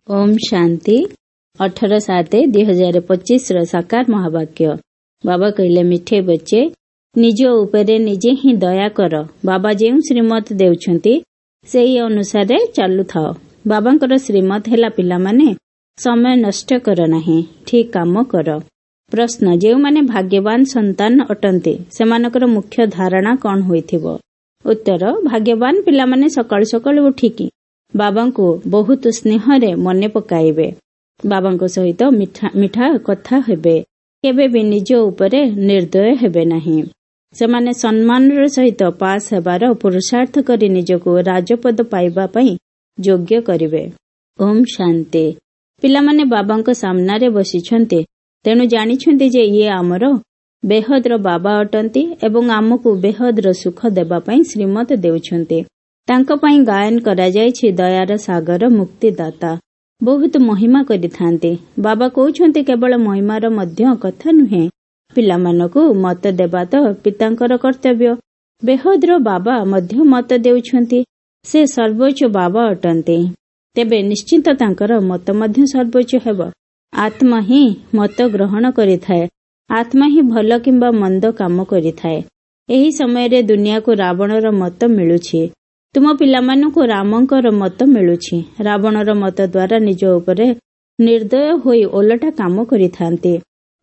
ଓମ୍ ଶାନ୍ତି। 18/7/2025ର ସାକାର ମହାବାକ୍ୟ। ବାବା କହିଲେ, ମିଠେ ବଚ୍ଚେ, ନିଜ ଉପରେ ନିଜେ ହିଁ ଦୟା କର। ବାବା ଯେଉଁ ଶ୍ରୀମତ ଦେଉଛନ୍ତି, ସେହି ଅନୁସାରେ ଚାଲୁଥାଅ। ବାବାଙ୍କର ଶ୍ରୀମତ ହେଲା, ପିଲାମାନେ, ସମୟ ନଷ୍ଟ କର ନାହିଁ, ଠିକ୍ କାମ କର। ପ୍ରଶ୍ନ, ଯେଉଁମାନେ ଭାଗ୍ୟବାନ ସନ୍ତାନ ଅଟନ୍ତି, ସେମାନଙ୍କର ମୁଖ୍ୟ ଧାରଣା କଣ ହୋଇଥିବ? ଉତ୍ତର, ଭାଗ୍ୟବାନ ପିଲାମାନେ ସକାଳୁ ସକାଳୁ ଉଠିକି ବାବାଙ୍କୁ ବହୁତ ସ୍ନେହରେ ମନେ ପକାଇବେ, ବାବାଙ୍କ ସହିତ ମିଠା ମିଠା କଥା ହେବେ, କେବେ ବି ନିଜ ଉପରେ ନିର୍ଦ୍ଦୟ ହେବେ ନାହିଁ। ସେମାନେ ସମ୍ମାନର ସହିତ ପାସ୍ ହେବାର ପୁରୁଷାର୍ଥ କରି ନିଜକୁ ରାଜପଦ ପାଇବା ପାଇଁ ଯୋଗ୍ୟ କରିବେ। ଓମ୍ ଶାନ୍ତି। ପିଲାମାନେ ବାବାଙ୍କ ସାମ୍ନାରେ ବସିଛନ୍ତି, ତେଣୁ ଜାଣିଛନ୍ତି ଯେ ଇଏ ଆମର ବେହଦର ବାବା ଅଟନ୍ତି ଏବଂ ଆମକୁ ବେହଦର ସୁଖ ଦେବା ପାଇଁ ଶ୍ରୀମତ ଦେଉଛନ୍ତି। ତାଙ୍କ ପାଇଁ ଗାୟନ କରାଯାଇଛି, ଦୟାର ସାଗର ମୁକ୍ତିଦାତା। ବହୁତ ମହିମା କରିଥାନ୍ତି। ବାବା କହୁଛନ୍ତି, କେବଳ ମହିମାର ମଧ୍ୟ କଥା ନୁହେଁ, ପିଲାମାନଙ୍କୁ ମତ ଦେବା ତ ପିତାଙ୍କର କର୍ତ୍ତବ୍ୟ। ବେହଦର ବାବା ମଧ୍ୟ ମତ ଦେଉଛନ୍ତି। ସେ ସର୍ବୋଚ୍ଚ ବାବା ଅଟନ୍ତି, ତେବେ ନିଶ୍ଚିତ ତାଙ୍କର ମତ ମଧ୍ୟ ସର୍ବୋଚ୍ଚ ହେବ। ଆତ୍ମା ହିଁ ମତ ଗ୍ରହଣ କରିଥାଏ। ଆତ୍ମା ହିଁ ଭଲ କିମ୍ବା ମନ୍ଦ କାମ କରିଥାଏ। ଏହି ସମୟରେ ଦୁନିଆକୁ ରାବଣର ମତ ମିଳୁଛି, ତୁମ ପିଲାମାନଙ୍କୁ ରାମଙ୍କର ମତ ମିଳୁଛି। ରାବଣର ମତ ଦ୍ୱାରା ନିଜ ଉପରେ ନିର୍ଦ୍ଦୟ ହୋଇ ଓଲଟା କାମ କରିଥାନ୍ତି।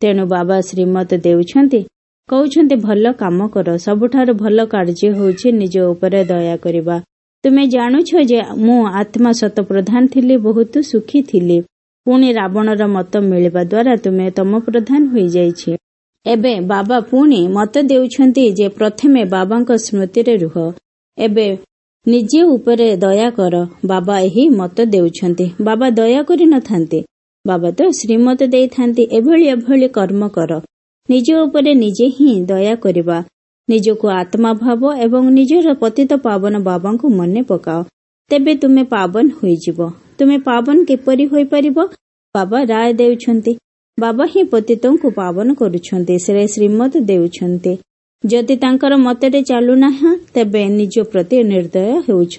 ତେଣୁ ବାବା ଶ୍ରୀମତ ଦେଉଛନ୍ତି, କହୁଛନ୍ତି, ଭଲ କାମ କର। ସବୁଠାରୁ ଭଲ କାର୍ଯ୍ୟ ହେଉଛି ନିଜ ଉପରେ ଦୟା କରିବା। ତୁମେ ଜାଣୁଛ ଯେ ମୁଁ ଆତ୍ମା ଶତପ୍ରଧାନ ଥିଲି, ବହୁତ ସୁଖୀ ଥିଲି। ପୁଣି ରାବଣର ମତ ମିଳିବା ଦ୍ୱାରା ତୁମେ ତମ ପ୍ରଧାନ ହୋଇଯାଇଛି। ଏବେ ବାବା ପୁଣି ମତ ଦେଉଛନ୍ତି ଯେ ପ୍ରଥମେ ବାବାଙ୍କ ସ୍ମୃତିରେ ରୁହ, ଏବେ ନିଜେ ଉପରେ ଦୟା କର। ବାବା ଏହି ମତ ଦେଉଛନ୍ତି। ବାବା ଦୟା କରିନଥାନ୍ତି, ବାବା ତ ଶ୍ରୀମତ ଦେଇଥାନ୍ତି, ଏଭଳି ଏଭଳି କର୍ମ କର। ନିଜ ଉପରେ ନିଜେ ହିଁ ଦୟା କରିବା। ନିଜକୁ ଆତ୍ମା ଭାବ ଏବଂ ନିଜର ପତିତ ପାବନ ବାବାଙ୍କୁ ମନେ ପକାଅ, ତେବେ ତୁମେ ପାବନ ହୋଇଯିବ। ତୁମେ ପାବନ କିପରି ହୋଇପାରିବ? ବାବା ରାୟ ଦେଉଛନ୍ତି। ବାବା ହିଁ ପତିତଙ୍କୁ ପାବନ କରୁଛନ୍ତି, ସେ ଶ୍ରୀମତ ଦେଉଛନ୍ତି। ଯଦି ତାଙ୍କର ମତରେ ଚାଲୁନାହିଁ, ତେବେ ନିଜ ପ୍ରତି ନିର୍ଦ୍ଦୟ ହେଉଛ।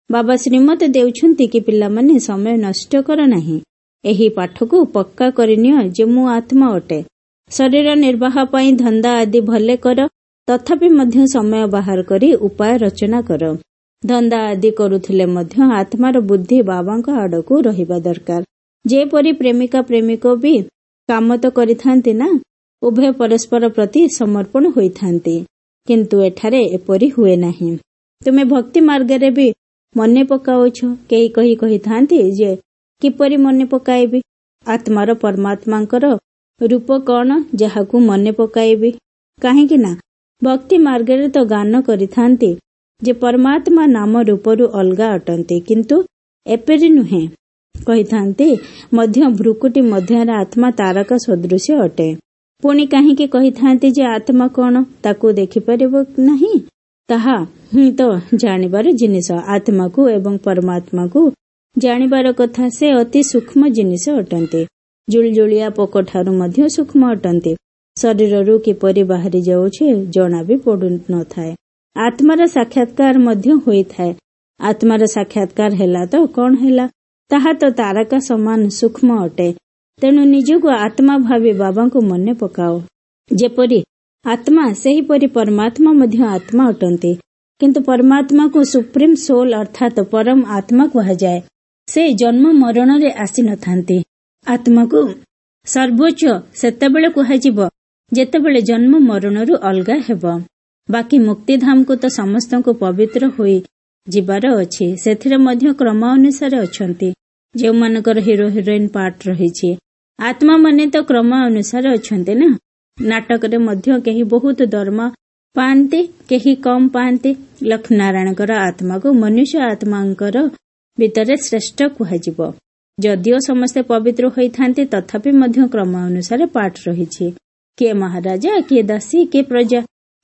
ବାବା ଶ୍ରୀମତ ଦେଉଛନ୍ତି କି ପିଲାମାନେ, ସମୟ ନଷ୍ଟ କର ନାହିଁ। ଏହି ପାଠକୁ ପକ୍କା କରିନିଅ ଯେ ମୁଁ ଆତ୍ମା ଅଟେ। ଶରୀର ନିର୍ବାହ ପାଇଁ ଧନ୍ଦା ଆଦି ଭଲେ କର, ତଥାପି ମଧ୍ୟ ସମୟ ବାହାର କରି ଉପାୟ ରଚନା କର। ଧନ୍ଦା ଆଦି କରୁଥିଲେ ମଧ୍ୟ ଆତ୍ମାର ବୁଦ୍ଧି ବାବାଙ୍କ ଆଡକୁ ରହିବା ଦରକାର। ଯେପରି ପ୍ରେମିକା ପ୍ରେମିକ ବି କାମ ତ କରିଥାନ୍ତି ନା, ଉଭୟ ପରସ୍ପର ପ୍ରତି ସମର୍ପଣ ହୋଇଥାନ୍ତି। କିନ୍ତୁ ଏଠାରେ ଏପରି ହୁଏ ନାହିଁ। ତୁମେ ଭକ୍ତି ମାର୍ଗରେ ବି ମନେ ପକାଉଛ। କେହି କହି କହିଥାନ୍ତି ଯେ କିପରି ମନେ ପକାଇବି? ଆତ୍ମାର ପରମାତ୍ମାଙ୍କର ରୂପ କଣ ଯାହାକୁ ମନେ ପକାଇବି? କାହିଁକି ନା ଭକ୍ତି ମାର୍ଗରେ ତ ଗାନ କରିଥାନ୍ତି ଯେ ପରମାତ୍ମା ନାମ ରୂପରୁ ଅଲଗା ଅଟନ୍ତି, କିନ୍ତୁ ଏପରି ନୁହେଁ। କହିଥାନ୍ତି ମଧ୍ୟ ଭ୍ରୁକୁଟି ମଧ୍ୟରେ ଆତ୍ମା ତାରକା ସଦୃଶ୍ୟ ଅଟେ। ପୁଣି କାହିଁକି କହିଥାନ୍ତି ଯେ ଆତ୍ମା କଣ, ତାକୁ ଦେଖିପାରିବ ନାହିଁ? ତାହା ହିଁ ତ ଜାଣିବାର ଜିନିଷ। ଆତ୍ମାକୁ ଏବଂ ପରମାତ୍ମାକୁ ଜାଣିବାର କଥା। ସେ ଅତି ସୂକ୍ଷ୍ମ ଜିନିଷ ଅଟନ୍ତି, ଜୁଳୁଜୁଳିଆ ପୋକ ଠାରୁ ମଧ୍ୟ ସୂକ୍ଷ୍ମ ଅଟନ୍ତି। ଶରୀରରୁ କିପରି ବାହାରି ଯାଉଛି ଜଣା ବି ପଡୁନଥାଏ। ଆତ୍ମାର ସାକ୍ଷାତକାର ମଧ୍ୟ ହୋଇଥାଏ। ଆତ୍ମାର ସାକ୍ଷାତକାର ହେଲା ତ କଣ ହେଲା? ତାହା ତ ତାରକା ସମାନ ସୂକ୍ଷ୍ମ ଅଟେ। ତେଣୁ ନିଜକୁ ଆତ୍ମା ଭାବି ବାବାଙ୍କୁ ମନେ ପକାଅ। ଯେପରି ଆତ୍ମା, ସେହିପରି ପରମାତ୍ମା ମଧ୍ୟ ଆତ୍ମା ଅଟନ୍ତି। କିନ୍ତୁ ପରମାତ୍ମାକୁ ସୁପ୍ରିମ ସୋଲ ଅର୍ଥାତ ପରମ ଆତ୍ମା କୁହାଯାଏ। ସେ ଜନ୍ମ ମରଣରେ ଆସିନଥାନ୍ତି। ଆତ୍ମାକୁ ସର୍ବୋଚ୍ଚ ସେତେବେଳେ କୁହାଯିବ ଯେତେବେଳେ ଜନ୍ମ ମରଣରୁ ଅଲଗା ହେବ। ବାକି ମୁକ୍ତିଧାମକୁ ତ ସମସ୍ତଙ୍କୁ ପବିତ୍ର ହୋଇ ଯିବାର ଅଛି। ସେଥିରେ ମଧ୍ୟ କ୍ରମ ଅନୁସାରେ ଅଛନ୍ତି, ଯେଉଁମାନଙ୍କର ହିରୋ ହିରୋଇନ ପାର୍ଟ ରହିଛି। ଆତ୍ମା ମାନେ ତ କ୍ରମ ଅନୁସାରେ ଅଛନ୍ତି ନା। ନାଟକରେ ମଧ୍ୟ କେହି ବହୁତ ଦରମା ପାଆନ୍ତି, କେହି କମ ପାଆନ୍ତି। ଲକ୍ଷ୍ମୀନାରାୟଣଙ୍କର ଆତ୍ମାକୁ ମନୁଷ୍ୟ ଆତ୍ମାଙ୍କର ଭିତରେ ଶ୍ରେଷ୍ଠ କୁହାଯିବ। ଯଦିଓ ସମସ୍ତେ ପବିତ୍ର ହୋଇଥାନ୍ତି, ତଥାପି ମଧ୍ୟ କ୍ରମ ଅନୁସାରେ ପାଠ ରହିଛି। କିଏ ମହାରାଜା, କିଏ ଦାସୀ, କିଏ ପ୍ରଜା।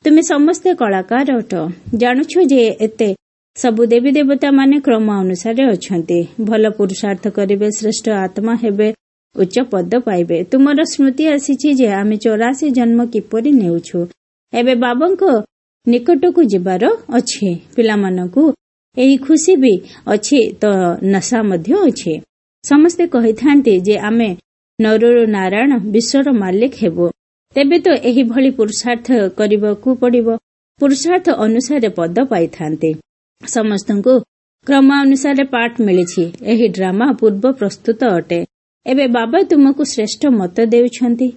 ତୁମେ ସମସ୍ତେ କଳାକାର ଅଟ। ଜାଣୁଛ ଯେ ଏତେ ସବୁ ଦେବୀ ଦେବତା ମାନେ କ୍ରମ ଅନୁସାରେ ଅଛନ୍ତି। ଭଲ ପୁରୁଷାର୍ଥ କରିବେ, ଶ୍ରେଷ୍ଠ ଆତ୍ମା ହେବେ, ଉଚ୍ଚ ପଦ ପାଇବେ। ତୁମର ସ୍ମୃତି ଆସିଛି ଯେ ଆମେ 84 ଜନ୍ମ କିପରି ନେଉଛୁ। ଏବେ ବାବାଙ୍କ ନିକଟକୁ ଯିବାର ଅଛି। ପିଲାମାନଙ୍କୁ ଏହି ଖୁସି ବି ଅଛି ତ ନଶା ମଧ୍ୟ ଅଛି। ସମସ୍ତେ କହିଥାନ୍ତି ଯେ ଆମେ ନରରୁ ନାରାୟଣ ବିଶ୍ୱର ମାଲିକ ହେବୁ। ତେବେ ତ ଏହିଭଳି ପୁରୁଷାର୍ଥ କରିବାକୁ ପଡ଼ିବ। ପୁରୁଷାର୍ଥ ଅନୁସାରେ ପଦ ପାଇଥାନ୍ତି। ସମସ୍ତଙ୍କୁ କ୍ରମ ଅନୁସାରେ ପାଠ ମିଳିଛି। ଏହି ଡ୍ରାମା ପୂର୍ବ ପ୍ରସ୍ତୁତ ଅଟେ। ଏବେ ବାବା ତୁମକୁ ଶ୍ରେଷ୍ଠ ମତ ଦେଉଛନ୍ତି।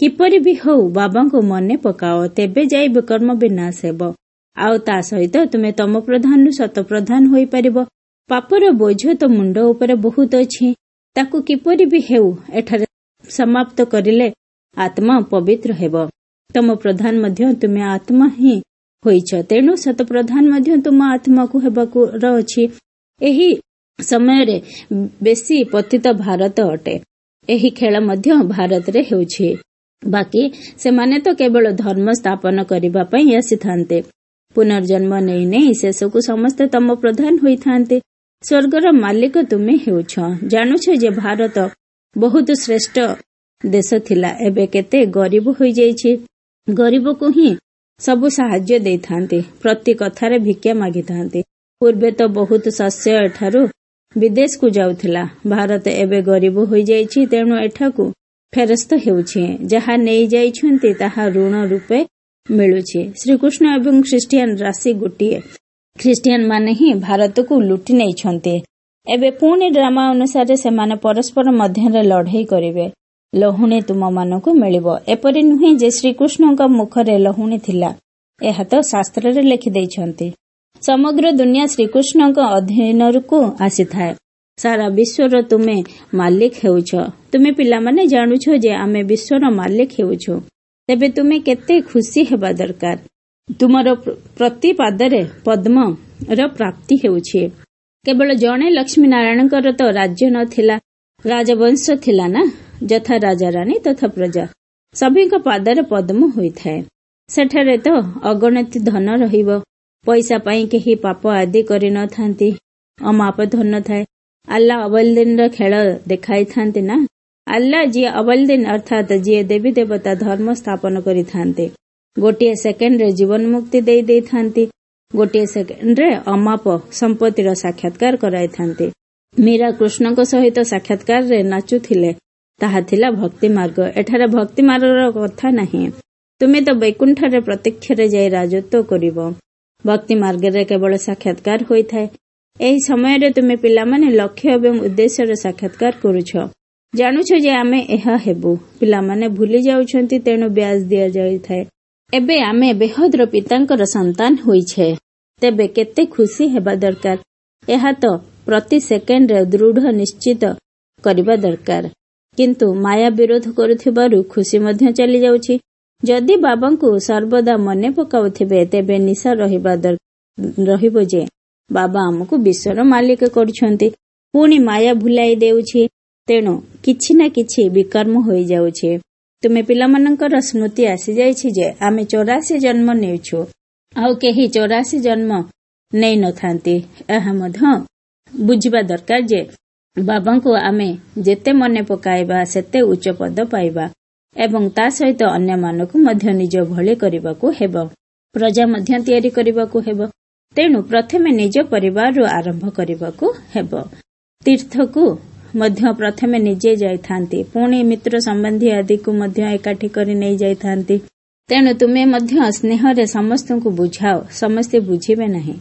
କିପରି ବି ହଉ ବାବାଙ୍କୁ ମନେ ପକାଅ, ତେବେ ଯାଇ ବିକର୍ମ ବିନାଶ ହେବ। ଆଉ ତା ସହିତ ତୁମେ ତମ ପ୍ରଧାନରୁ ଶତପ୍ରଧାନ ହୋଇପାରିବ। ପାପର ବୋଝ ତ ମୁଣ୍ଡ ଉପରେ ବହୁତ ଅଛି, ତାକୁ କିପରି ବି ହେଉ ଏଠାରେ ସମାପ୍ତ କରିଲେ ଆତ୍ମା ପବିତ୍ର ହେବ। ତମ ପ୍ରଧାନ ମଧ୍ୟ ତୁମେ ଆତ୍ମା ହିଁ ହୋଇଛ, ତେଣୁ ଶତପ୍ରଧାନ ମଧ୍ୟ ତୁମ ଆତ୍ମାକୁ ହେବାକୁ ଅଛି। ଏହି ସମୟରେ ବେଶୀ ପତିତ ଭାରତ ଅଟେ। ଏହି ଖେଳ ମଧ୍ୟ ଭାରତରେ ହେଉଛି। ବାକି ସେମାନେ ତ କେବଳ ଧର୍ମ ସ୍ଥାପନ କରିବା ପାଇଁ ଆସିଥାନ୍ତେ। ପୁନର୍ଜନ୍ମ ନେଇ ନେଇ ଶେଷକୁ ସମସ୍ତେ ତମ ପ୍ରଧାନ ହୋଇଥାନ୍ତେ। ସ୍ୱର୍ଗର ମାଲିକ ତୁମେ ହେଉଛ। ଜାଣୁଛ ଯେ ଭାରତ ବହୁତ ଶ୍ରେଷ୍ଠ ଦେଶ ଥିଲା, ଏବେ କେତେ ଗରିବ ହୋଇଯାଇଛି। ଗରିବକୁ ହିଁ ସବୁ ସାହାଯ୍ୟ ଦେଇଥାନ୍ତି, ପ୍ରତି କଥାରେ ଭିକ୍ଷା ମାଗିଥାନ୍ତି। ପୂର୍ବେ ତ ବହୁତ ଶସ୍ୟ ଏଠାରୁ ବିଦେଶକୁ ଯାଉଥିଲା। ଭାରତ ଏବେ ଗରିବ ହୋଇଯାଇଛି, ତେଣୁ ଏଠାକୁ ଫେରସ୍ତ ହେଉଛି। ଯାହା ନେଇଯାଇଛନ୍ତି ତାହା ଋଣ ରୂପେ ମିଳୁଛି। ଶ୍ରୀକୃଷ୍ଣ ଏବଂ ଖ୍ରୀଷ୍ଟିଆନ ରାଶି ଗୋଟିଏ। ଖ୍ରୀଷ୍ଟିଆନ ମାନେ ହିଁ ଭାରତକୁ ଲୁଟି ନେଇଛନ୍ତି। ଏବେ ପୁଣି ଡ୍ରାମା ଅନୁସାରେ ସେମାନେ ପରସ୍ପର ମଧ୍ୟରେ ଲଢ଼େଇ କରିବେ। ଲହୁଣୀ ତୁମମାନଙ୍କୁ ମିଳିବ। ଏପରି ନୁହେଁ ଯେ ଶ୍ରୀକୃଷ୍ଣଙ୍କ ମୁଖରେ ଲହୁଣୀ ଥିଲା, ଏହା ତ ଶାସ୍ତ୍ରରେ ଲେଖିଦେଇଛନ୍ତି। ସମଗ୍ର ଦୁନିଆ ଶ୍ରୀକୃଷ୍ଣଙ୍କ ଅଧୀନକୁ ଆସିଥାଏ। ସାରା ବିଶ୍ୱର ତୁମେ ମାଲିକ ହେଉଛ। ତୁମେ ପିଲାମାନେ ଜାଣୁଛ ଯେ ଆମେ ବିଶ୍ୱର ମାଲିକ ହେଉଛୁ। ତେବେ ତୁମେ କେତେ ଖୁସି ହେବା ଦରକାର। ତୁମର ପ୍ରତି ପାଦରେ ପଦ୍ମର ପ୍ରାପ୍ତି ହେଉଛି। କେବଳ ଜଣେ ଲକ୍ଷ୍ମୀ ନାରାୟଣଙ୍କର ତ ରାଜ୍ୟ ନଥିଲା, ରାଜବଂଶ ଥିଲା ନା। ଯଥା ରାଜା ରାଣୀ ତଥା ପ୍ରଜା, ସଭିଙ୍କ ପାଦରେ ପଦ୍ମ ହୋଇଥାଏ। ସେଠାରେ ତ ଅଗଣତି ଧନ ରହିବ। ପଇସା ପାଇଁ କେହି ପାପ ଆଦି କରିନଥାନ୍ତି। ଅମାପ ଧନ ଥାଏ। ଆଲ୍ଲାହ ଅବଲଦିନର ଖେଳ ଦେଖାଇଥାନ୍ତି ନା। ଆଲ୍ଲାହ ଯିଏ ଅବଲଦିନ ଅର୍ଥାତ ଯିଏ ଦେବୀ ଦେବତା ଧର୍ମ ସ୍ଥାପନ କରିଥାନ୍ତି, ଗୋଟିଏ ସେକେଣ୍ଡରେ ଜୀବନ ମୁକ୍ତି ଦେଇ ଦେଇଥାନ୍ତି। ଗୋଟିଏ ସେକେଣ୍ଡରେ ଅମାପ ସମ୍ପତ୍ତିର ସାକ୍ଷାତକାର କରାଇଥାନ୍ତି। ମୀରା କୃଷ୍ଣଙ୍କ ସହିତ ସାକ୍ଷାତକାରରେ ନାଚୁଥିଲେ, ତାହା ଥିଲା ଭକ୍ତି ମାର୍ଗ। ଏଠାରେ ଭକ୍ତି ମାର୍ଗର କଥା ନାହିଁ। ତୁମେ ତ ବୈକୁଣ୍ଠରେ ପ୍ରତ୍ୟକ୍ଷରେ ଯାଇ ରାଜତ୍ୱ କରିବ। ଭକ୍ତି ମାର୍ଗରେ କେବଳ ସାକ୍ଷାତକାର ହୋଇଥାଏ। ଏହି ସମୟରେ ତୁମେ ପିଲାମାନେ ଲକ୍ଷ୍ୟ ଏବଂ ଉଦ୍ଦେଶ୍ୟର ସାକ୍ଷାତକାର କରୁଛ। ଜାଣୁଛ ଯେ ଆମେ ଏହା ହେବୁ। ପିଲାମାନେ ଭୁଲି ଯାଉଛନ୍ତି, ତେଣୁ ବ୍ୟାଜ ଦିଆଯାଇଥାଏ। ଏବେ ଆମେ ବେହଦର ପିତାଙ୍କର ସନ୍ତାନ ହୋଇଛେ, ତେବେ କେତେ ଖୁସି ହେବା ଦରକାର। ଏହା ତ ପ୍ରତି ସେକେଣ୍ଡରେ ଦୃଢ଼ ନିଶ୍ଚିତ କରିବା ଦରକାର। କିନ୍ତୁ ମାୟା ବିରୋଧ କରୁଥିବାରୁ ଖୁସି ମଧ୍ୟ ଚାଲିଯାଉଛି। ଯଦି ବାବାଙ୍କୁ ସର୍ବଦା ମନେ ପକାଉଥିବେ, ତେବେ ନିଶା ରହିବ ଯେ ବାବା ଆମକୁ ବିଶ୍ୱର ମାଲିକ କରୁଛନ୍ତି। ପୁଣି ମାୟା ଭୁଲାଇ ଦେଉଛି, ତେଣୁ କିଛି ନା କିଛି ବିକର୍ମ ହୋଇଯାଉଛି। ତୁମେ ପିଲାମାନଙ୍କର ସ୍ମୃତି ଆସିଯାଇଛି ଯେ ଆମେ 84 ଜନ୍ମ ନେଉଛୁ, ଆଉ କେହି 84 ଜନ୍ମ ନେଇନଥାନ୍ତି। ଏହା ମଧ୍ୟ ବୁଝିବା ଦରକାର ଯେ ବାବାଙ୍କୁ ଆମେ ଯେତେ ମନେ ପକାଇବା ସେତେ ଉଚ୍ଚ ପଦ ପାଇବା ଏବଂ ତା ସହିତ ଅନ୍ୟମାନଙ୍କୁ ମଧ୍ୟ ନିଜ ଭଳି କରିବାକୁ ହେବ, ପ୍ରଜା ମଧ୍ୟ ତିଆରି କରିବାକୁ ହେବ। ତେଣୁ ପ୍ରଥମେ ନିଜ ପରିବାରରୁ ଆରମ୍ଭ କରିବାକୁ ହେବ। ତୀର୍ଥକୁ ମଧ୍ୟ ପ୍ରଥମେ ନିଜେ ଯାଇଥାନ୍ତି, ପୁଣି ମିତ୍ର ସମ୍ବନ୍ଧୀ ଆଦିକୁ ମଧ୍ୟ ଏକାଠି କରି ନେଇଯାଇଥାନ୍ତି। ତେଣୁ ତୁମେ ମଧ୍ୟ ସ୍ନେହରେ ସମସ୍ତଙ୍କୁ ବୁଝାଅ। ସମସ୍ତେ ବୁଝିବେ ନାହିଁ।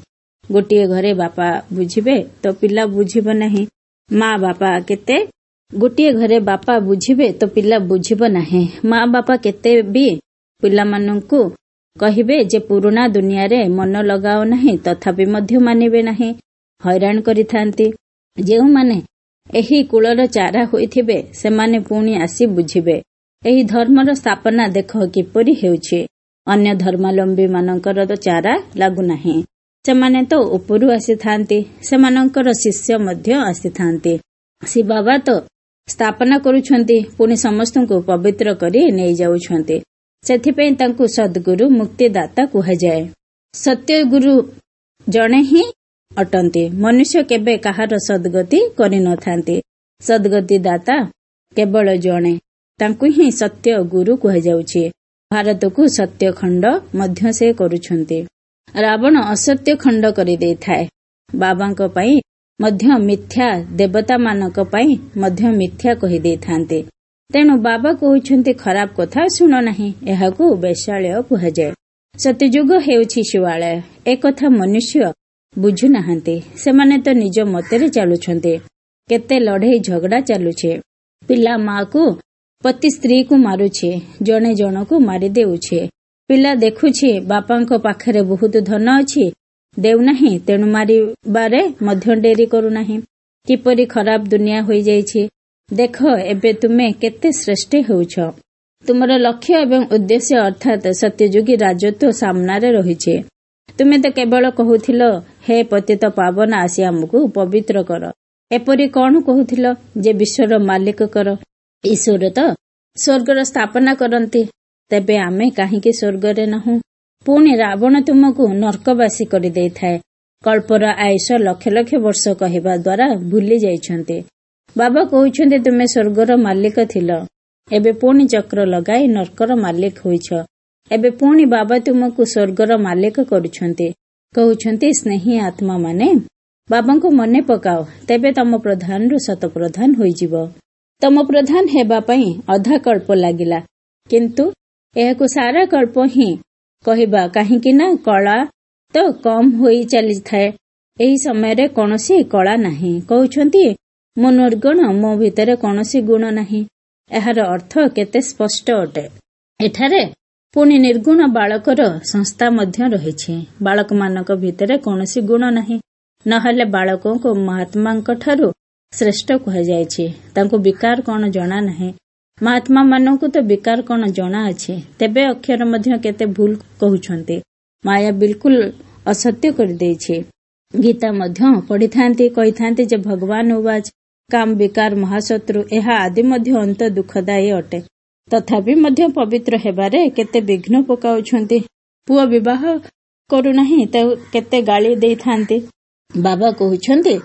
ଗୋଟିଏ ଘରେ ବାପା ବୁଝିବେ ତ ପିଲା ବୁଝିବ ନାହିଁ। ମା ବାପା କେତେ ଗୋଟିଏ ଘରେ ବାପା ବୁଝିବେ ତ ପିଲା ବୁଝିବ ନାହିଁ। ମା ବାପା କେତେ ବି ପିଲାମାନଙ୍କୁ କହିବେ ଯେ ପୁରୁଣା ଦୁନିଆରେ ମନ ଲଗାଅ ନାହିଁ, ତଥାପି ମଧ୍ୟ ମାନିବେ ନାହିଁ, ହଇରାଣ କରିଥାନ୍ତି। ଯେଉଁମାନେ ଏହି କୂଳର ଚାରା ହୋଇଥିବେ ସେମାନେ ପୁଣି ଆସି ବୁଝିବେ। ଏହି ଧର୍ମର ସ୍ଥାପନା ଦେଖ କିପରି ହେଉଛି। ଅନ୍ୟ ଧର୍ମାବଲମ୍ବୀ ମାନଙ୍କର ତ ଚାରା ଲାଗୁନାହିଁ। ସେମାନେ ତ ଉପରୁ ଆସିଥାନ୍ତି, ସେମାନଙ୍କର ଶିଷ୍ୟ ମଧ୍ୟ ଆସିଥାନ୍ତି। ଶିବବାବା ତ ସ୍ଥାପନା କରୁଛନ୍ତି, ପୁଣି ସମସ୍ତଙ୍କୁ ପବିତ୍ର କରି ନେଇଯାଉଛନ୍ତି। ସେଥିପାଇଁ ତାଙ୍କୁ ସଦ୍ଗୁରୁ ମୁକ୍ତିଦାତା କୁହାଯାଏ। ସତ୍ୟଗୁରୁ ଜଣେ ହିଁ ଅଟନ୍ତି। ମନୁଷ୍ୟ କେବେ କାହାର ସଦ୍ଗତି କରିନଥାନ୍ତି। ସଦ୍ଗତି ଦାତା କେବଳ ଜଣେ, ତାଙ୍କୁ ହିଁ ସତ୍ୟ ଗୁରୁ କୁହାଯାଉଛି। ଭାରତକୁ ସତ୍ୟ ଖଣ୍ଡ ମଧ୍ୟ ସେ କରୁଛନ୍ତି। ରାବଣ ଅସତ୍ୟ ଖଣ୍ଡ କରିଦେଇଥାଏ। ବାବାଙ୍କ ପାଇଁ ମଧ୍ୟ ମିଥ୍ୟା, ଦେବତାମାନଙ୍କ ପାଇଁ ମଧ୍ୟ ମିଥ୍ୟା କହିଦେଇଥାନ୍ତି। ତେଣୁ ବାବା କହୁଛନ୍ତି, ଖରାପ କଥା ଶୁଣ ନାହିଁ। ଏହାକୁ ବେଶ୍ୟାଳୟ କୁହାଯାଏ। ସତ୍ୟଯୁଗ ହେଉଛି ଶିବାଳୟ। ଏକଥା ମନୁଷ୍ୟ ବୁଝୁନାହାନ୍ତି। ସେମାନେ ତ ନିଜ ମତରେ ଚାଲୁଛନ୍ତି। କେତେ ଲଢ଼େଇ ଝଗଡ଼ା ଚାଲୁଛି। ପିଲା ମାକୁ, ପତି ସ୍ତ୍ରୀକୁ ମାରୁଛି, ଜଣେ ଜଣକୁ ମାରିଦେଉଛି। ପିଲା ଦେଖୁଛି ବାପାଙ୍କ ପାଖରେ ବହୁତ ଧନ ଅଛି, ଦେଉନାହିଁ, ତେଣୁ ମାରିବାରେ ମଧ୍ୟ ଡେରି କରୁନାହିଁ। କିପରି ଖରାପ ଦୁନିଆ ହୋଇଯାଇଛି। ଦେଖ, ଏବେ ତୁମେ କେତେ ଶ୍ରେଷ୍ଠ ହେଉଛ। ତୁମର ଲକ୍ଷ୍ୟ ଏବଂ ଉଦ୍ଦେଶ୍ୟ ଅର୍ଥାତ୍ ସତ୍ୟଯୁଗୀ ରାଜତ୍ୱ ସାମ୍ନାରେ ରହିଛି। ତୁମେ ତ କେବଳ କହୁଥିଲ, ହେ ପତିତ ପାବନ, ଆସି ଆମକୁ ପବିତ୍ର କର। ଏପରି କଣ କହୁଥିଲ ଯେ ବିଶ୍ୱର ମାଲିକ କର। ଈଶ୍ୱର ତ ସ୍ୱର୍ଗର ସ୍ଥାପନା କରନ୍ତି, ତେବେ ଆମେ କାହିଁକି ସ୍ୱର୍ଗରେ ନାହୁଁ? ପୁଣି ରାବଣ ତୁମକୁ ନର୍କବାସୀ କରିଦେଇଥାଏ। କଳ୍ପର ଆୟୁଷ ଲକ୍ଷ ଲକ୍ଷ ବର୍ଷ କହିବା ଦ୍ୱାରା ଭୁଲି ଯାଇଛନ୍ତି। ବାବା କହୁଛନ୍ତି, ତୁମେ ସ୍ୱର୍ଗର ମାଲିକ ଥିଲ, ଏବେ ପୁଣି ଚକ୍ର ଲଗାଇ ନର୍କର ମାଲିକ ହୋଇଛ। ଏବେ ପୁଣି ବାବା ତୁମକୁ ସ୍ୱର୍ଗର ମାଲିକ କରୁଛନ୍ତି। କହୁଛନ୍ତି, ସ୍ନେହୀ ଆତ୍ମା ମାନେ ବାବାଙ୍କୁ ମନେ ପକାଅ, ତେବେ ତମ ପ୍ରଧାନରୁ ଶତପ୍ରଧାନ ହୋଇଯିବ। ତମ ପ୍ରଧାନ ହେବା ପାଇଁ ଅଧା କଳ୍ପ ଲାଗିଲା, କିନ୍ତୁ ଏହାକୁ ସାରା କଳ୍ପ ହିଁ କହିବା, କାହିଁକି ନା କଳା ତ କମ ହୋଇ ଚାଲିଥାଏ। ଏହି ସମୟରେ କୌଣସି କଳା ନାହିଁ। କହୁଛନ୍ତି, ମୁଁ ନିର୍ଗୁଣ, ମୋ ଭିତରେ କୌଣସି ଗୁଣ ନାହିଁ। ଏହାର ଅର୍ଥ କେତେ ସ୍ପଷ୍ଟ ଅଟେ। ଏଠାରେ ପୁଣି ନିର୍ଗୁଣ ବାଳକର ସଂସ୍ଥା ମଧ୍ୟ ରହିଛି। ବାଳକମାନଙ୍କ ଭିତରେ କୌଣସି ଗୁଣ ନାହିଁ, ନହେଲେ ବାଳକଙ୍କୁ ମହାତ୍ମାଙ୍କ ଠାରୁ ଶ୍ରେଷ୍ଠ କୁହାଯାଇଛି। ତାଙ୍କୁ ବିକାର କଣ ଜଣା ନାହିଁ। ମହାତ୍ମା ମାନଙ୍କୁ ତ ବିକାର କଣ ଜଣା ଅଛି। ତେବେ ଅକ୍ଷର ମଧ୍ୟ କେତେ ଭୁଲ କହୁଛନ୍ତି। ମାୟା ବିଲକୁଲ ଅସତ୍ୟ କରିଦେଇଛି। ଗୀତା ମଧ୍ୟ ପଢିଥାନ୍ତି, କହିଥାନ୍ତି ଯେ ଭଗବାନ ଉବାଚ, କାମ ବିକାର ମହାଶତ୍ରୁ, ଏହା ଆଦି ମଧ୍ୟ ଅନ୍ତ ଦୁଃଖଦାୟୀ ଅଟେ। ତଥାପି ମଧ୍ୟ ପବିତ୍ର ହେବାରେ କେତେ ବିଘ୍ନ ପକାଉଛନ୍ତି। ପୁଅ ବିବାହ କରୁନାହିଁ ତ କେତେ ଗାଳି ଦେଇଥାନ୍ତି। ବାବା କହୁଛନ୍ତି,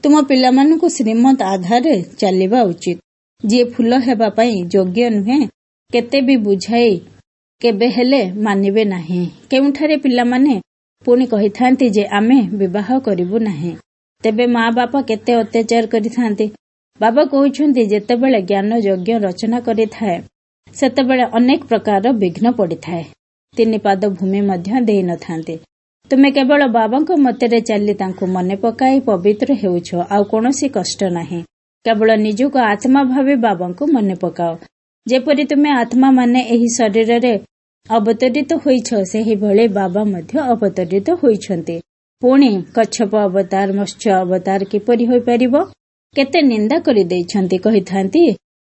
ତୁମ ପିଲାମାନଙ୍କୁ ଶ୍ରୀମତ ଆଧାରରେ ଚାଲିବା ଉଚିତ। ଯିଏ ଫୁଲ ହେବା ପାଇଁ ଯୋଗ୍ୟ ନୁହେଁ, କେତେ ବି ବୁଝାଇ କେବେ ହେଲେ ମାନିବେ ନାହିଁ। କେଉଁଠାରେ ପିଲାମାନେ ପୁଣି କହିଥାନ୍ତି ଯେ ଆମେ ବିବାହ କରିବୁ ନାହିଁ, ତେବେ ମା ବାପା କେତେ ଅତ୍ୟାଚାର କରିଥାନ୍ତି। ବାବା କହୁଛନ୍ତି, ଯେତେବେଳେ ଜ୍ଞାନ ଯଜ୍ଞ ରଚନା କରିଥାଏ, ସେତେବେଳେ ଅନେକ ପ୍ରକାର ବିଘ୍ନ ପଡ଼ିଥାଏ। ତିନି ପାଦ ଭୂମି ମଧ୍ୟ ଦେଇନଥାନ୍ତି। ତୁମେ କେବଳ ବାବାଙ୍କ ମତରେ ଚାଲି ତାଙ୍କୁ ମନେ ପକାଇ ପବିତ୍ର ହେଉଛ, ଆଉ କୌଣସି କଷ୍ଟ ନାହିଁ। କେବଳ ନିଜକୁ ଆତ୍ମା ଭାବି ବାବାଙ୍କୁ ମନେ ପକାଅ। ଯେପରି ତୁମେ ଆତ୍ମା ମାନେ ଏହି ଶରୀରରେ ଅବତରିତ ହୋଇଛ, ସେହିଭଳି ବାବା ମଧ୍ୟ ଅବତରିତ ହୋଇଛନ୍ତି। ପୁଣି କଚ୍ଛପ ଅବତାର, ମତ୍ସ୍ୟ ଅବତାର କିପରି ହୋଇପାରିବ? କେତେ ନିନ୍ଦା କରିଦେଇଛନ୍ତି। କହିଥାନ୍ତି,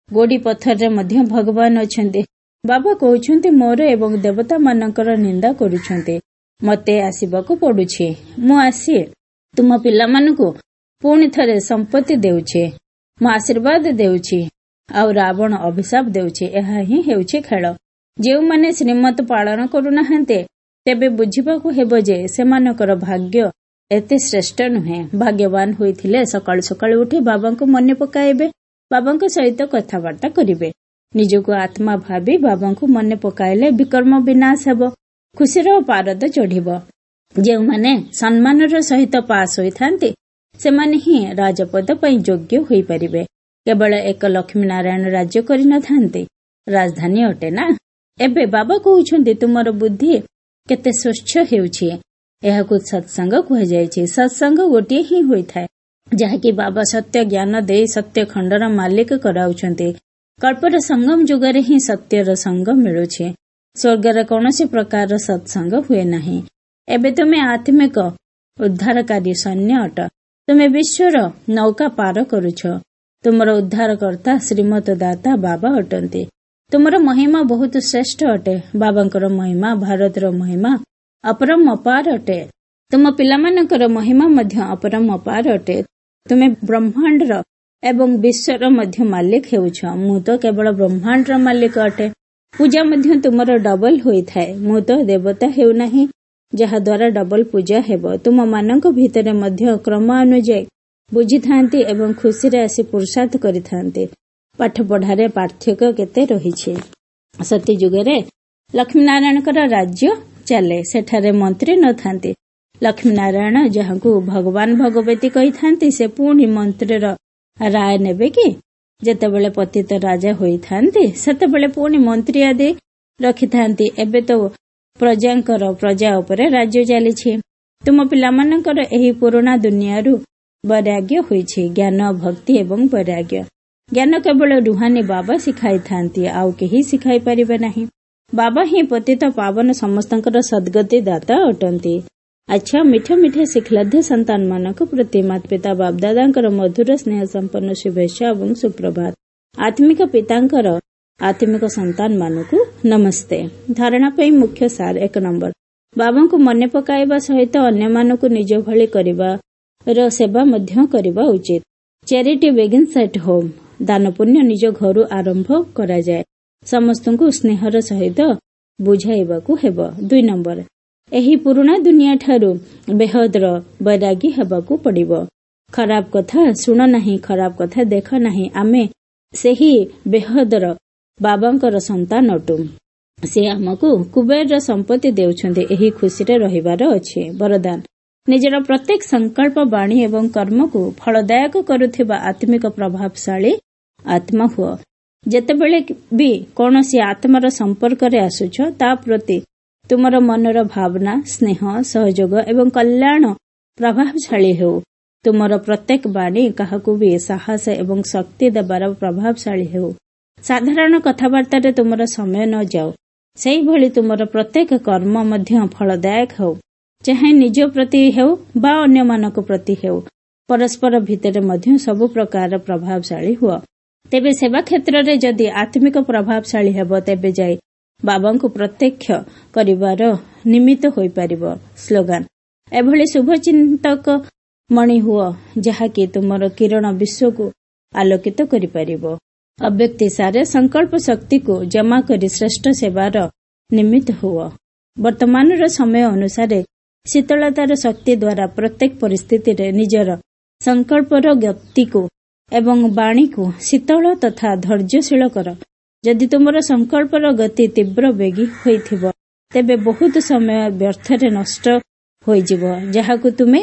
ଗୋଡି ପଥରରେ ମଧ୍ୟ ଭଗବାନ ଅଛନ୍ତି। ବାବା କହୁଛନ୍ତି, ମୋର ଏବଂ ଦେବତାମାନଙ୍କର ନିନ୍ଦା କରୁଛନ୍ତି, ମତେ ଆସିବାକୁ ପଡୁଛି। ମୁଁ ଆସି ତୁମ ପିଲାମାନଙ୍କୁ ପୁଣି ଥରେ ସମ୍ପତ୍ତି ଦେଉଛି, ମୁଁ ଆଶୀର୍ବାଦ ଦେଉଛି, ଆଉ ରାବଣ ଅଭିଶାପ ଦେଉଛି। ଏହା ହିଁ ହେଉଛି ଖେଳ। ଯେଉଁମାନେ ଶ୍ରୀମତ ପାଳନ କରୁନାହାନ୍ତି, ତେବେ ବୁଝିବାକୁ ହେବ ଯେ ସେମାନଙ୍କର ଭାଗ୍ୟ ଏତେ ଶ୍ରେଷ୍ଠ ନୁହେଁ। ଭାଗ୍ୟବାନ ହୋଇଥିଲେ ସକାଳୁ ସକାଳୁ ଉଠି ବାବାଙ୍କୁ ମନେ ପକାଇବେ, ବାବାଙ୍କ ସହିତ କଥାବାର୍ତ୍ତା କରିବେ। ନିଜକୁ ଆତ୍ମା ଭାବି ବାବାଙ୍କୁ ମନେ ପକାଇଲେ ବିକର୍ମ ବିନାଶ ହେବ, ଖୁସିର ପାରଦ ଚଢିବ। ଯେଉଁମାନେ ସମ୍ମାନର ସହିତ ପାସ୍ ହୋଇଥାନ୍ତି, ସେମାନେ ହିଁ ରାଜପଦ ପାଇଁ ଯୋଗ୍ୟ ହୋଇପାରିବେ। କେବଳ ଏକ ଲକ୍ଷ୍ମୀ ନାରାୟଣ ରାଜ୍ୟ କରିନଥାନ୍ତି, ରାଜଧାନୀ ଅଟେ ନା। ଏବେ ବାବା କହୁଛନ୍ତି, ତୁମର ବୁଦ୍ଧି କେତେ ସ୍ୱଚ୍ଛ ହେଉଛି। ଏହାକୁ ସତ୍ସଙ୍ଗ କୁହାଯାଇଛି। ସତ୍ସଙ୍ଗ ଗୋଟିଏ ହିଁ ହୋଇଥାଏ, ଯାହାକି ବାବା ସତ୍ୟ ଜ୍ଞାନ ଦେଇ ସତ୍ୟ ଖଣ୍ଡର ମାଲିକ କରାଉଛନ୍ତି। କଳ୍ପର ସଙ୍ଗମ ଯୁଗରେ ହିଁ ସତ୍ୟର ସଙ୍ଗ ମିଳୁଛି। ସ୍ୱର୍ଗରେ କୌଣସି ପ୍ରକାରର ସତ୍ସଙ୍ଗ ହୁଏ ନାହିଁ। ଏବେ ତୁମେ ଆତ୍ମିକ ଉଦ୍ଧାରକାରୀ ସୈନ୍ୟ ଅଟ। ତୁମେ ବିଶ୍ୱର ନୌକା ପାର କରୁଛ। ତୁମର ଉଦ୍ଧାରକର୍ତ୍ତା ଶ୍ରୀମତ ଦାତା ବାବା ଅଟନ୍ତି। ତୁମର ମହିମା ବହୁତ ଶ୍ରେଷ୍ଠ ଅଟେ। ବାବାଙ୍କର ମହିମା ଭାରତର ମହିମା ଅପରମ ଅପାର ଅଟେ। ତୁମ ପିଲାମାନଙ୍କର ମହିମା ମଧ୍ୟ ଅପରମ ଅପାର ଅଟେ। ତୁମେ ବ୍ରହ୍ମାଣ୍ଡର ଏବଂ ବିଶ୍ୱର ମଧ୍ୟ ମାଲିକ ହେଉଛ। ମୁଁ ତ କେବଳ ବ୍ରହ୍ମାଣ୍ଡର ମାଲିକ ଅଟେ। ପୂଜା ମଧ୍ୟ ତୁମର ଡବଲ ହୋଇଥାଏ। ମୁଁ ତ ଦେବତା ହେଉନାହିଁ, ଯାହାଦ୍ୱାରା ଡବଲ ପୂଜା ହେବ। ତୁମମାନଙ୍କ ଭିତରେ ମଧ୍ୟ କ୍ରମ ଅନୁଯାୟୀ ବୁଝିଥାନ୍ତି ଏବଂ ଖୁସିରେ ଆସି ପୁରୁଷାର୍ଥ କରିଥାନ୍ତି। ପାଠ ପଢାରେ ପାର୍ଥକ୍ୟ କେତେ ରହିଛି। ସତୀଯୁଗରେ ଲକ୍ଷ୍ମୀ ନାରାୟଣଙ୍କର ରାଜ୍ୟ ଚାଲେ, ସେଠାରେ ମନ୍ତ୍ରୀ ନଥାନ୍ତି। ଲକ୍ଷ୍ମୀନାରାୟଣ ଯାହାଙ୍କୁ ଭଗବାନ ଭଗବତୀ କହିଥାନ୍ତି, ସେ ପୁଣି ମନ୍ତ୍ରୀର ରାୟ ନେବେ କି? ଯେତେବେଳେ ପତିତ ରାଜା ହୋଇଥାନ୍ତି, ସେତେବେଳେ ପୁଣି ମନ୍ତ୍ରୀ ଆଦି ରଖିଥାନ୍ତି। ଏବେ ତ ପ୍ରଜାଙ୍କର ପ୍ରଜା ଉପରେ ରାଜ୍ୟ ଚାଲିଛି। ତୁମ ପିଲାମାନଙ୍କର ଏହି ପୁରୁଣା ଦୁନିଆରୁ ବୈରାଗ୍ୟ ହୋଇଛି। ଜ୍ଞାନ, ଭକ୍ତି ଏବଂ ବୈରାଗ୍ୟ। ଜ୍ଞାନ କେବଳ ରୁହାନୀ ବାବା ଶିଖାଇଥାନ୍ତି, ଆଉ କେହି ଶିଖାଇ ପାରିବେ ନାହିଁ। ବାବା ହିଁ ପତିତ ପାବନ ସମସ୍ତଙ୍କର ସଦ୍ଗତି ଦାତା ଅଟନ୍ତି। ଆଚ୍ଛା, ମିଠା ମିଠା ଶିଖଲବ୍ଧ ସନ୍ତାନମାନଙ୍କ ପ୍ରତି ମାତା ପିତା ବାପଦାଦାଙ୍କର ମଧୁର ସ୍ନେହ ସମ୍ପନ୍ନ ଶୁଭେଚ୍ଛା ଏବଂ ସୁପ୍ରଭାତ। ଆତ୍ମିକ ପିତାଙ୍କର ଆତ୍ମିକ ସନ୍ତାନମାନଙ୍କୁ ନମସ୍ତେ। ଧାରଣା ପାଇଁ ମୁଖ୍ୟ ସାର। 1 ନମ୍ବର, ବାବାଙ୍କୁ ମନେ ପକାଇବା ସହିତ ଅନ୍ୟମାନଙ୍କୁ ନିଜ ଭଳି କରିବାର ସେବା ମଧ୍ୟ କରିବା ଉଚିତ। Charity begins at home. ଦାନ ପୁଣ୍ୟ ନିଜ ଘରୁ ଆରମ୍ଭ କରାଯାଏ। ସମସ୍ତଙ୍କୁ ସ୍ନେହର ସହିତ ବୁଝାଇବାକୁ ହେବ। 2 ନମ୍ବର, ଏହି ପୁରୁଣା ଦୁନିଆ ଠାରୁ ବେହଦର ବୈରାଗୀ ହେବାକୁ ପଡ଼ିବ। ଖରାପ କଥା ଶୁଣ ନାହିଁ, ଖରାପ କଥା ଦେଖ ନାହିଁ। ଆମେ ସେହି ବେହଦର ବାବାଙ୍କର ସନ୍ତାନ ଅଟୁ। ସେ ଆମକୁ କୁବେରର ସମ୍ପତ୍ତି ଦେଉଛନ୍ତି, ଏହି ଖୁସିରେ ରହିବାର ଅଛି। ବରଦାନ, ନିଜର ପ୍ରତ୍ୟେକ ସଂକଳ୍ପ, ବାଣୀ ଏବଂ କର୍ମକୁ ଫଳଦାୟକ କରୁଥିବା ଆତ୍ମିକ ପ୍ରଭାବଶାଳୀ ଆତ୍ମା ହୁଅ। ଯେତେବେଳେ ବି କୌଣସି ଆତ୍ମାର ସମ୍ପର୍କରେ ଆସୁଛ, ତା ପ୍ରତି ତୁମର ମନର ଭାବନା, ସ୍ନେହ, ସହଯୋଗ ଏବଂ କଲ୍ୟାଣ ପ୍ରଭାବଶାଳୀ ହେଉ। ତୁମର ପ୍ରତ୍ୟେକ ବାଣୀ କାହାକୁ ବି ସାହସ ଏବଂ ଶକ୍ତି ଦେବାର ପ୍ରଭାବଶାଳୀ ହେଉ। ସାଧାରଣ କଥାବାର୍ତ୍ତାରେ ତୁମର ସମୟ ନ ଯାଉ। ସେହିଭଳି ତୁମର ପ୍ରତ୍ୟେକ କର୍ମ ମଧ୍ୟ ଫଳଦାୟକ ହେଉ, ଚାହେ ନିଜ ପ୍ରତି ହେଉ ବା ଅନ୍ୟମାନଙ୍କ ପ୍ରତି ହେଉ। ପରସ୍ପର ଭିତରେ ମଧ୍ୟ ସବୁ ପ୍ରକାର ପ୍ରଭାବଶାଳୀ ହୁଅ। ତେବେ ସେବା କ୍ଷେତ୍ରରେ ଯଦି ଆତ୍ମିକ ପ୍ରଭାବଶାଳୀ ହେବ, ତେବେ ଯାଇ ବାବାଙ୍କୁ ପ୍ରତ୍ୟକ୍ଷ କରିବାର ନିମିତ୍ତ ହୋଇପାରିବ। ସ୍ଲୋଗାନ, ଏଭଳି ଶୁଭ ଚିନ୍ତକ ମଣି ହୁଅ ଯାହାକି ତୁମର କିରଣ ବିଶ୍ୱକୁ ଆଲୋକିତ କରିପାରିବ। ଅବ୍ୟକ୍ତି ସାରେ, ସଂକଳ୍ପ ଶକ୍ତିକୁ ଜମା କରି ଶ୍ରେଷ୍ଠ ସେବାର ନିମିତ୍ତ ହୁଅ। ବର୍ତ୍ତମାନର ସମୟ ଅନୁସାରେ ଶୀତଳତାର ଶକ୍ତି ଦ୍ୱାରା ପ୍ରତ୍ୟେକ ପରିସ୍ଥିତିରେ ନିଜର ସଂକଳ୍ପର ଗତିକୁ ଏବଂ ବାଣୀକୁ ଶୀତଳ ତଥା ଧୈର୍ଯ୍ୟଶୀଳ କର। ଯଦି ତୁମର ସଂକଳ୍ପର ଗତି ତୀବ୍ର ବେଗୀ ହୋଇଥିବ, ତେବେ ବହୁତ ସମୟ ବ୍ୟର୍ଥରେ ନଷ୍ଟ ହୋଇଯିବ, ଯାହାକୁ ତୁମେ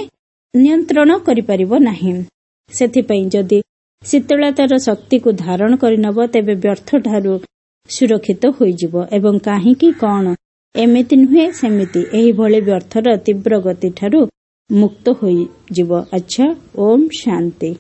ନିୟନ୍ତ୍ରଣ କରିପାରିବ ନାହିଁ। ସେଥିପାଇଁ ଯଦି ଶୀତଳତାର ଶକ୍ତିକୁ ଧାରଣ କରିନେବ, ତେବେ ବ୍ୟର୍ଥଠାରୁ ସୁରକ୍ଷିତ ହୋଇଯିବ ଏବଂ କାହିଁକି, କଣ, ଏମିତି ନୁହେଁ ସେମିତି, ଏହିଭଳି ବ୍ୟର୍ଥର ତୀବ୍ର ଗତିଠାରୁ ମୁକ୍ତ ହୋଇଯିବ। ଆଚ୍ଛା, ଓମ୍ ଶାନ୍ତି।